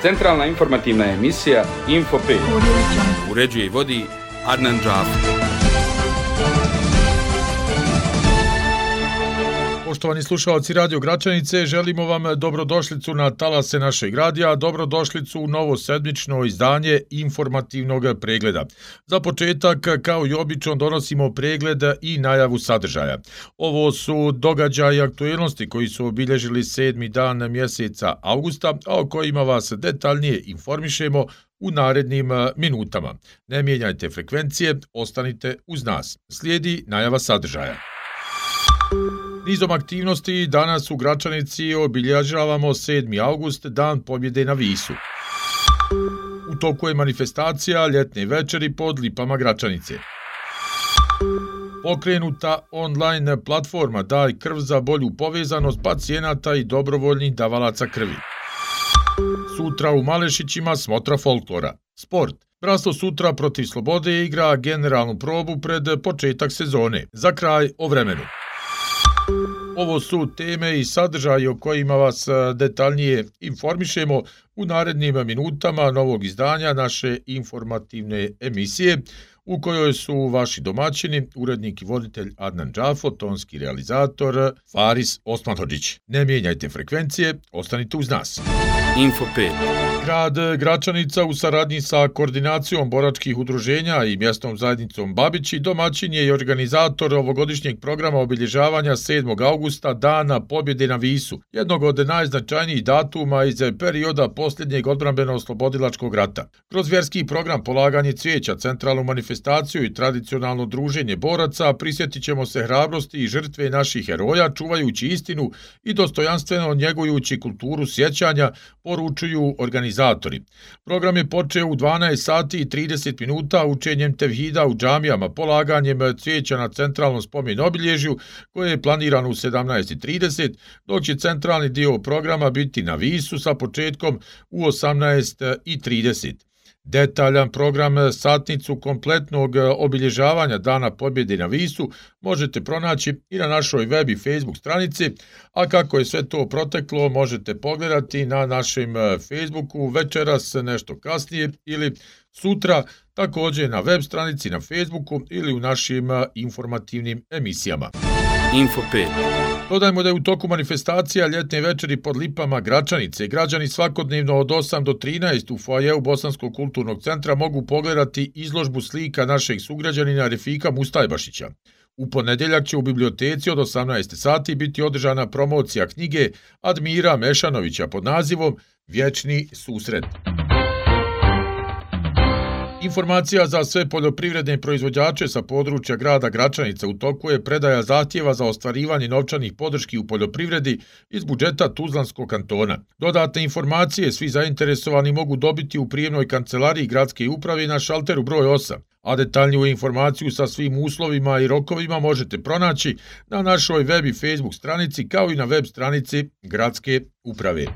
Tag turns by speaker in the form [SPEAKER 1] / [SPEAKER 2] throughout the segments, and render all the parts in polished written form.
[SPEAKER 1] Centralna informativna emisija Info 5. Uređuje i vodi Adnan Džafer.
[SPEAKER 2] Poštovani slušalci Radio Gračanice, želimo vam dobrodošlicu na talase našeg radija, dobrodošlicu u novo sedmično izdanje informativnog pregleda. Za početak, kao i obično, donosimo pregled i najavu sadržaja. Ovo su događaji i aktuelnosti koji su obilježili 7. dan mjeseca avgusta, a o kojima vas detaljnije informišemo u narednim minutama. Ne mijenjajte frekvencije, ostanite uz nas. Slijedi najava sadržaja. Nizom aktivnosti danas u Gračanici obilježavamo 7. avgust, dan pobjede na Visu. U toku je manifestacija ljetne večeri pod lipama Gračanice. Pokrenuta online platforma Daj krv za bolju povezanost pacijenata i dobrovoljnih davalaca krvi. Sutra u Malešićima smotra folklora. Sport. Bratstvo sutra protiv Slobode igra generalnu probu pred početak sezone. Za kraj o vremenu. Ovo su teme i sadržaji o kojima vas detaljnije informišemo u narednim minutama novog izdanja naše informativne emisije, u kojoj su vaši domaćini, urednik i voditelj Adnan Džafo, tonski realizator Faris Osmanhodžić. Ne mijenjajte frekvencije, ostanite uz nas.
[SPEAKER 1] Info 5.
[SPEAKER 2] Grad Gračanica u saradnji sa koordinacijom boračkih udruženja i mjesnom zajednicom Babići domaćin je i organizator ovogodišnjeg programa obilježavanja 7. augusta Dana pobjede na Visu, jednog od najznačajnijih datuma iz perioda posljednjeg odbrambeno-oslobodilačkog rata. Kroz vjerski program polaganje cvijeća, centralnu manifestaciju i tradicionalno druženje boraca prisjetit ćemo se hrabrosti i žrtve naših heroja, čuvajući istinu i dostojanstveno njegujući kulturu sjećanja, poručuju organizatori. Program je počeo u 12 sati i 30 minuta učenjem tevhida u džamijama, polaganjem cvijeća na centralnom spomen obilježju koje je planirano u 17:30, dok će centralni dio programa biti na Visu sa početkom u 18:30. Detaljan program, satnicu kompletnog obilježavanja Dana pobjede na Visu možete pronaći i na našoj web i Facebook stranici, a kako je sve to proteklo možete pogledati na našem Facebooku večeras nešto kasnije ili sutra, također na web stranici na Facebooku ili u našim informativnim emisijama.
[SPEAKER 1] Info 5.
[SPEAKER 2] Dodajmo da je u toku manifestacija ljetne večeri pod lipama Gračanice građani svakodnevno od 8 do 13 u foajeu Bosanskog kulturnog centra mogu pogledati izložbu slika našeg sugrađanina Refika Mustajbašića. U ponedjeljak će u biblioteci od 18 sati biti održana promocija knjige Admira Mešanovića pod nazivom Vječni susret. Informacija za sve poljoprivredne proizvođače sa područja grada Gračanica. U toku je predaja zahtjeva za ostvarivanje novčanih podrški u poljoprivredi iz budžeta Tuzlanskog kantona. Dodatne informacije svi zainteresovani mogu dobiti u prijemnoj kancelariji gradske uprave na šalteru broj 8, a detaljniju informaciju sa svim uslovima i rokovima možete pronaći na našoj web i Facebook stranici kao i na web stranici gradske uprave.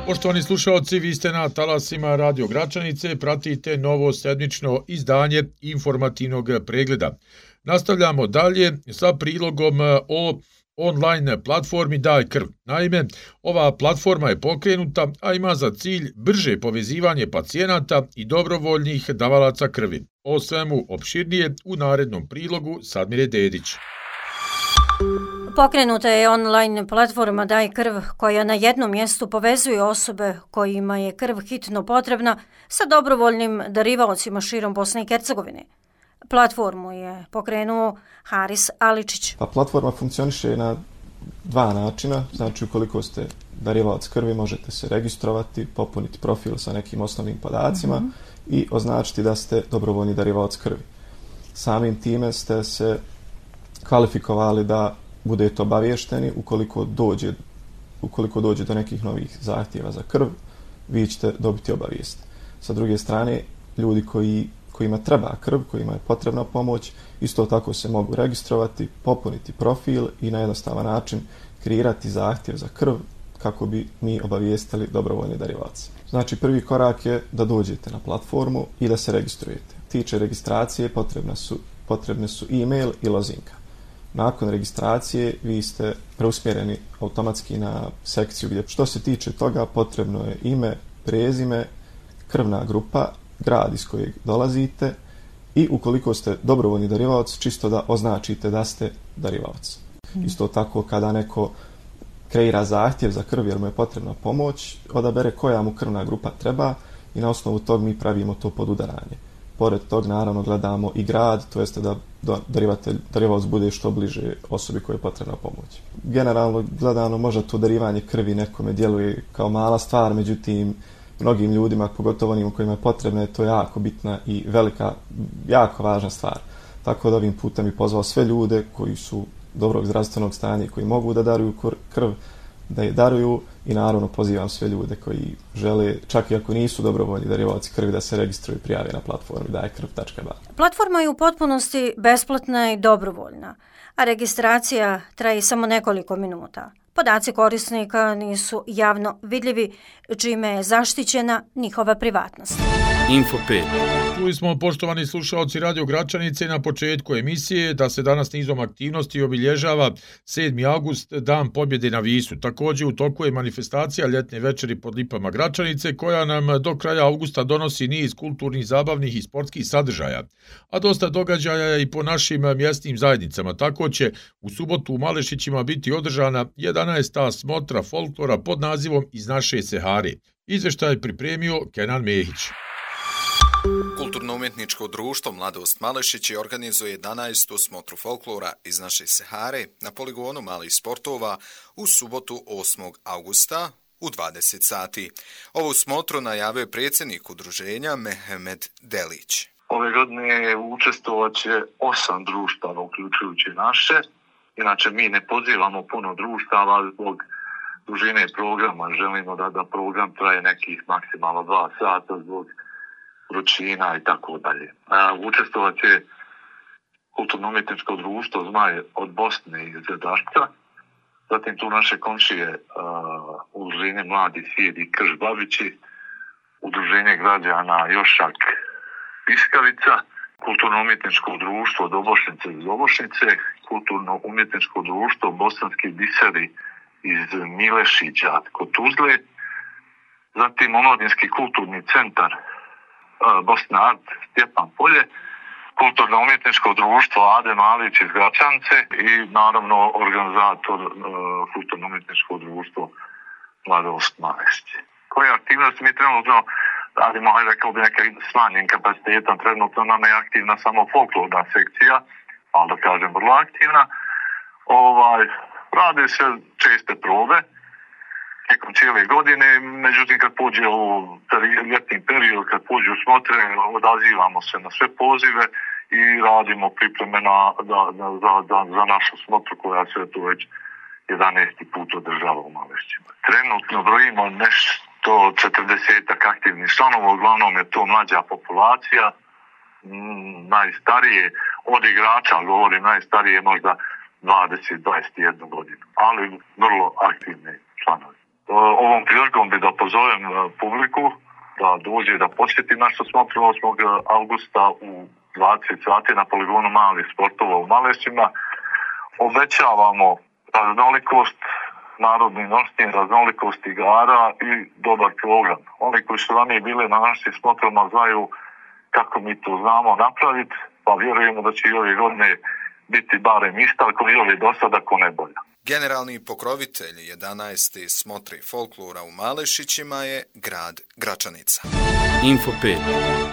[SPEAKER 2] Poštovani slušalci, vi ste na talasima Radio Gračanice, pratite novo sedmično izdanje informativnog pregleda. Nastavljamo dalje sa prilogom o online platformi Daj krv. Naime, ova platforma je pokrenuta, a ima za cilj brže povezivanje pacijenata i dobrovoljnih davalaca krvi. O svemu opširnije u narednom prilogu Sadmire Dedić.
[SPEAKER 3] Pokrenuta je online platforma Daj krv koja na jednom mjestu povezuje osobe kojima je krv hitno potrebna sa dobrovoljnim darivaocima širom Bosne i Hercegovine. Platformu je pokrenuo Haris Aličić.
[SPEAKER 4] Platforma funkcioniše na dva načina, znači ukoliko ste darivalac krvi možete se registrovati, popuniti profil sa nekim osnovnim podacima i označiti da ste dobrovoljni darivalac krvi. Samim time ste se kvalifikovali da budete obavješteni ukoliko dođe do nekih novih zahtjeva za krv, vi ćete dobiti obavijest. Sa druge strane, ljudi kojima treba krv, kojima je potrebna pomoć, isto tako se mogu registrovati, popuniti profil i na jednostavan način kreirati zahtjev za krv kako bi mi obavijestili dobrovoljni darivaoci. Znači, prvi korak je da dođete na platformu i da se registrujete. Tiče registracije potrebne su e-mail i lozinka. Nakon registracije vi ste preusmjereni automatski na sekciju gdje što se tiče toga potrebno je ime, prezime, krvna grupa, grad iz kojeg dolazite i ukoliko ste dobrovoljni darivalac, čisto da označite da ste darivalac. Isto tako kada neko kreira zahtjev za krv jer mu je potrebna pomoć, odabere koja mu krvna grupa treba i na osnovu tog mi pravimo to podudaranje. Pored tog naravno gledamo i grad, to jeste da darivalac bude što bliže osobi koja je potrebna pomoć. Generalno gledano možda to darivanje krvi nekome djeluje kao mala stvar, međutim mnogim ljudima, pogotovo onim kojima je potrebna, je to jako bitna i velika, jako važna stvar. Tako da ovim putem bih pozvao sve ljude koji su dobrog zdravstvenog stanja i koji mogu da daruju krv, da je daruju i naravno pozivam sve ljude koji žele, čak i ako nisu dobrovoljni darivaoci krvi, da se registruju i prijave na platformi dajkrv.ba.
[SPEAKER 3] Platforma je u potpunosti besplatna i dobrovoljna, a registracija traje samo nekoliko minuta. Podaci korisnika nisu javno vidljivi, čime je zaštićena njihova privatnost.
[SPEAKER 1] Info 5.
[SPEAKER 2] Čuli smo, poštovani slušaoci Radio Gračanice, na početku emisije da se danas nizom aktivnosti obilježava 7. august, Dan pobjede na Visu. Također u toku je manifestacija ljetne večeri pod lipama Gračanice, koja nam do kraja augusta donosi niz kulturnih, zabavnih i sportskih sadržaja. A dosta događaja je i po našim mjesnim zajednicama. Tako će u subotu u Malešićima biti održana 11. smotra folklora pod nazivom Iz naše Sehare. Izvještaj pripremio Kenan Mehić.
[SPEAKER 5] Kulturno-umjetničko društvo Mladost Malešići organizuje 11. smotru folklora Iz naše Sehare na poligonu malih sportova u subotu 8. augusta u 20 sati. Ovu smotru najavio predsjednik udruženja Mehmed Delić.
[SPEAKER 6] Ove godine učestvovat će 8 društava, uključujući naše. Inače, mi ne pozivamo puno društava zbog dužine programa. Želimo da program traje nekih maksimalno 2 sata zbog vrućina i tako dalje. Učestvovat će kulturno-umjetničko društvo Zmaj od Bosne iz Dašca, zatim tu naše komšije udruženje Mladi svijet i Krš Babići, udruženje građana Jošak Piskavica, kulturno-umjetničko društvo Dobošnice iz Dobošnice, kulturno-umjetničko društvo Bosanski biseri iz Milešića kod Tuzle, zatim Omladinski kulturni centar Bosna Art Stjepan Polje, kulturno-umjetničko društvo Ade Malić iz Gračance i naravno organizator kulturno-umjetničko društvo Mladost Malešići. Koje aktivnosti mi trenutno radimo, rekao bi neka smanjen kapacitetom, trenutno nam je aktivna samo folklorna sekcija, ali da kažem vrlo aktivna. Rade se česte probe tijekom cijele godine, međutim kad pođe u ljetni period, kad pođe u smotre, odazivamo se na sve pozive i radimo pripreme za našu smotru koja se tu već 11. put održava u Malešićima. Trenutno brojimo nešto 40 aktivnih članova, uglavnom je to mlađa populacija, najstarije od igrača, govorim najstarije možda 20-21 godinu, ali vrlo aktivni članovi. Ovom prilikom bi da pozovem publiku da dođe da posjeti našu smotru 8. augusta u 20 sati na poligonu malih sportova u Malešićima. Obećavamo raznolikost, narodni nošnji, raznolikost igara i dobar program. Oni koji su ranije bili na našim smotrama znaju kako mi to znamo napraviti, pa vjerujemo da će i ove godine biti barem ista, ako i ove do sada, ako ne bolja.
[SPEAKER 5] Generalni pokrovitelj 11. smotri folklora u Malešićima je grad Gračanica.
[SPEAKER 1] Info 5.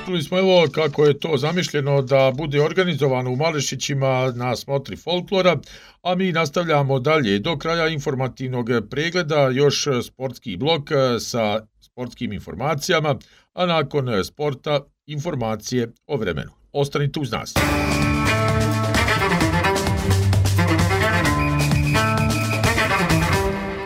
[SPEAKER 2] Čuli smo evo kako je to zamišljeno da bude organizovano u Malešićima na smotri folklora, a mi nastavljamo dalje do kraja informativnog pregleda, još sportski blok sa sportskim informacijama, a nakon sporta informacije o vremenu. Ostanite uz nas.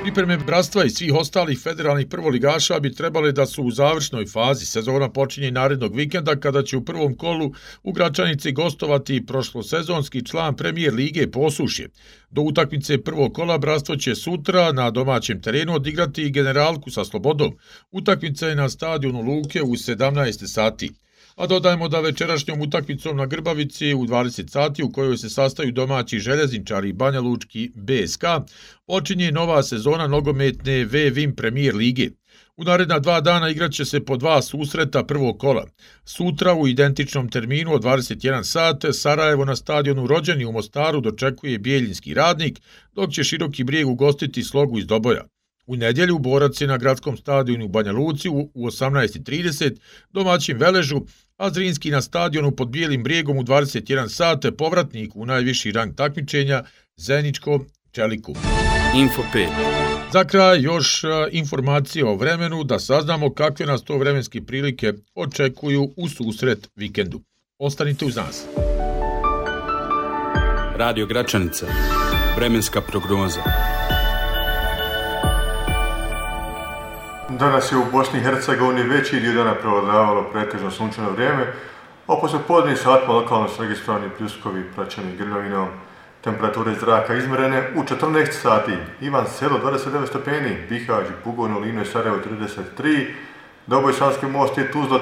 [SPEAKER 2] Pripreme bratstva i svih ostalih federalnih prvoligaša bi trebale da su u završnoj fazi. Sezona počinje narednog vikenda kada će u prvom kolu u Gračanici gostovati prošlosezonski član Premijer lige Posušje. Do utakmice prvog kola bratstvo će sutra na domaćem terenu odigrati Generalku sa Slobodom. Utakmica je na stadionu Luke u 17 sati. A dodajemo da večerašnjom utakmicom na Grbavici u 20 sati u kojoj se sastaju domaći Željezničari i Banja Lučki BSK, počinje nova sezona nogometne VVIM Premier lige. U naredna 2 dana igraće se po 2 susreta prvog kola. Sutra u identičnom terminu od 21 sat Sarajevo na stadionu Rođeni u Mostaru dočekuje Bijeljinski Radnik, dok će Široki Brijeg ugostiti Slogu iz Doboja. U nedjelju borac je na gradskom stadionu u Banja Luci u 18:30, domaćin Veležu, a Zrinski na stadionu pod Bijelim Brijegom u 21 sat povratnik u najviši rang takmičenja Zeničko Čeliku.
[SPEAKER 1] Info 5.
[SPEAKER 2] Za kraj još informacije o vremenu da saznamo kakve nas to vremenske prilike očekuju u susret vikendu. Ostanite uz nas.
[SPEAKER 1] Radio Gračanica. Vremenska prognoza.
[SPEAKER 7] Danas je u Bosni i Hercegovini veći dio dana prevladavalo pretežno sunčano vrijeme, a poslijepodnevnim satima lokalno su registrovani pljuskovi praćeni grmljavinom. Temperature zraka izmjerene u 14 sati. Ivan Selo 29 stepeni, Bihać, Bugovno, Lino i Sarajevo 33, Doboj, Sanski Most i Tuzla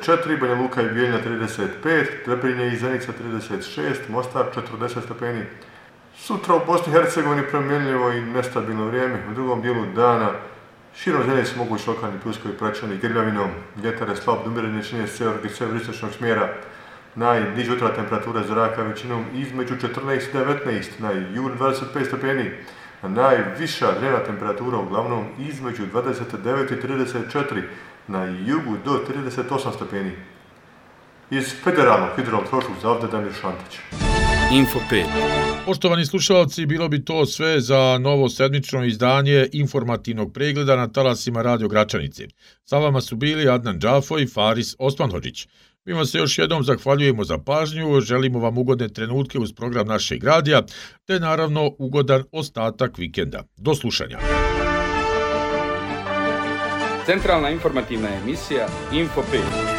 [SPEAKER 7] 34, Banja Luka i Bijeljina 35, Trebinje i Zenica 36, Mostar 40 stepeni. Sutra u Bosni i Hercegovini promjenljivo i nestabilno vrijeme. U drugom dijelu dana širom zemlje su mogući lokalni pljuskovi praćeni grmljavinom. Vjetar je slab do umjerene čine sjeveristočnog smjera. Najniža jutra temperatura zraka većinom između 14 i 19, na jugu 25 stepeni, a najviša dnevna temperatura uglavnom između 29 i 34, na jugu do 38 stepeni. Iz Federalnog hidrometeorološkog zavoda Damir Šantić.
[SPEAKER 1] Info 5.
[SPEAKER 2] Poštovani slušalci, bilo bi to sve za novo sedmično izdanje informativnog pregleda na talasima Radio Gračanice. Sa vama su bili Adnan Džafo i Faris Osmanhodžić. Mi vam se još jednom zahvaljujemo za pažnju, želimo vam ugodne trenutke uz program našeg radija, te naravno ugodan ostatak vikenda. Do slušanja.
[SPEAKER 1] Centralna informativna emisija Info 5.